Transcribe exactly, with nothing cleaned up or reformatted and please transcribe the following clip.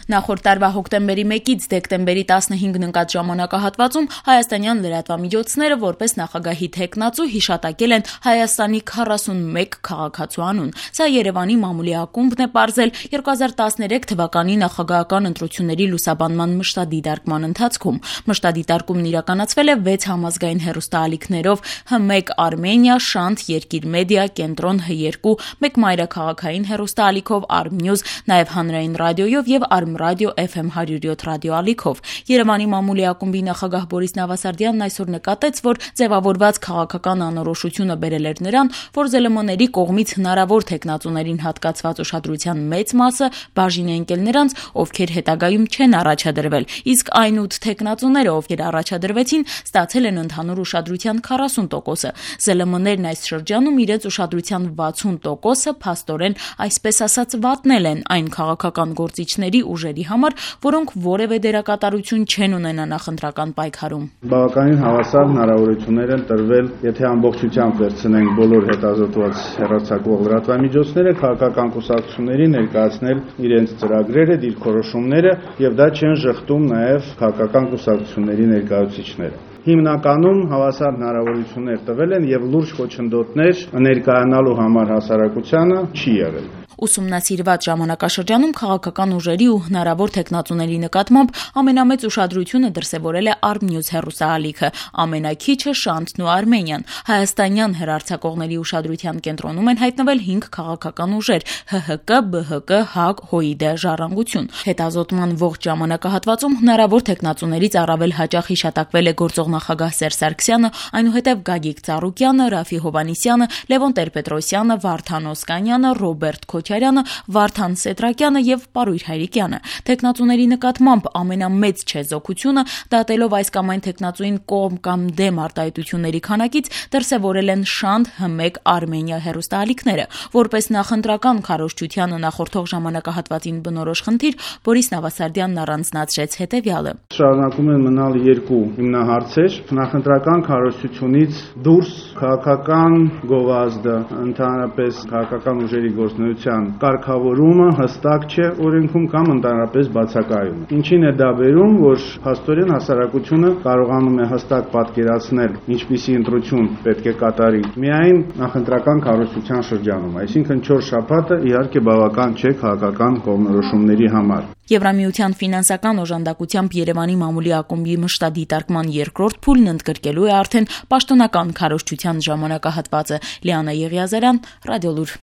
Նախորդ տարվա հոկտեմբերի մեկից դեկտեմբերի տասնհինգն ընկած ժամանակահատվածում հայաստանյան լրատվամիջոցները որպես նախագահի թեկնածու հիշատակել են Հայաստանի քառասունմեկ քաղաքացու անուն։ Սա Երևանի մամուլի ակումբն է պարզել երկու հազար տասներեք թվականի նախագահական ընտրությունների լուսաբանման մշտադիտարկման ընթացքում։ Մշտադիտարկումն իրականացվել է վեց համազգային հեռուստաալիքներով՝ Հ մեկ Արմենիա, Շանթ, Երկիր մեդիա, Կենտրոն, Հ երկու, մեկ մայրաքաղաքային հեռուստաալիքով Արմնյուզ, նաև հանրային ռադիոյով եւ Արմրադիո Էֆ Էմ հարյուր յոթ ռադիոալիքով։ Երևանի մամուլի ակումբի նախագահ Բորիս Նավասարդյանն այսօր նկատեց, որ ձևավորված քաղաքական անորոշությունը բերել էր նրան, որ Զ Լ Մ-ների կողմից հնարավոր թեկնածուներին հատկացված ուշադրության մեծ մասը բաժին է ընկել նրանց, ովքեր հետագայում չեն առաջադրվել, իսկ այն ութ թեկնածուները, ովքեր առաջադրվեցին, ստացել են ընդհանուր ուշադրության քառասուն տոկոսը։ Զ Լ Մ-ներն այս շրջանում իրենց ուշադրության վաթսուն տոկոսը փաստորեն, այսպես ասած, վատնել են այն քաղաքական գործիչների ուժերի համար, որոնք որևէ դերակատարություն չեն ունենա նախընտրական պայքարում։ Բավականին հավասար հնարավորություններ են տրվել, եթե ամբողջությամբ վերցնենք բոլոր հետազոտված հեռարձակվող լրատվամիջոցները, քաղաքական կուսակցությունների ներկայացնել իրենց ծրագրերը, դիրքորոշումները, եւ դա չեն շղթում նաեւ քաղաքական կուսակցությունների ներկայացուցիչները։ Հիմնականում հավասար հնարավորություններ տվել են եւ լուրջ խոչընդոտներ ներկայանալու համար հասարակությանը չի եղել։ Ուսումնասիրված ժամանակաշրջանում քաղաքական ուժերի ու հնարավոր թեկնածուների նկատմամբ ամենամեծ ուշադրությունը դրսևորել է Արմնյուզ հեռուստաալիքը, ամենակիչը Շանթն ու Արմենիան։ Հայաստանյան հեռարձակողների ուշադրության կենտրոնում են հայտնվել հինգ քաղաքական ուժեր՝ Հ Հ Կ, B H K, ՀԱԿ, Հ O I D, Ժառանգություն։ Հետազոտման ողջ ժամանակահատվածում հնարավոր թեկնածուներից առավել հաճախ հիշատակվել է գործող նախագահ Սերժ Սարգսյանը, այնուհետև Գագիկ Ծառուկյանը, Ռաֆի Հովհաննիսյանը, Լևոն Տեր-Պետրոսյանը, Վարդան Օսկանյանը, Ռոբերտ Քոչարյանը, Վարդան Սեդրակյանը եւ Պարույր Հայրիկյանը։ Թեկնածուների նկատմամբ ամենամեծ չեզոքությունը, դատելով այս կամ այն թեկնածուին կողմ կամ դեմ արտահայտությունների քանակից, դրսևորել են Շանթ, Հ մեկ Արմենիա հեռուստաալիքները։ Որպես նախընտրական քարոզչությանը նախորդող ժամանակահատվածին բնորոշ խնդիր, Բորիս Նավասարդյանն առանձնացրեց հետեւյալը. Շարունակում են մնալ երկու հիմնահարցեր՝ նախընտրական քարոզչությունից դուրս քաղաքական գովազդը, ընդհանրապես քաղաքական ուժերի գործունեության կարգավորումը հստակ չէ օրենքում կամ ընդհանրապես բացակայում է։ Ինչին է դա բերում, որ փաստորեն հասարակությունը կարողանում է հստակ պատկերացնել, ինչպիսի ընտրություն պետք է կատարի միայն նախընտրական քարոզչության շրջանում, այսինքն չորս շաբաթը իհարկե բավական չէ քաղաքական կողմնորոշումների համար։ Եվրամիության ֆինանսական օժանդակությամբ Երևանի մամուլի ակումբի մշտադիտարկման երկրորդ փուլն ընդգրկելու է արդեն պաշտոնական քարոզչության ժամանակահատվածը։ Լիանա Եղիազարյան, Ռադիոլուր։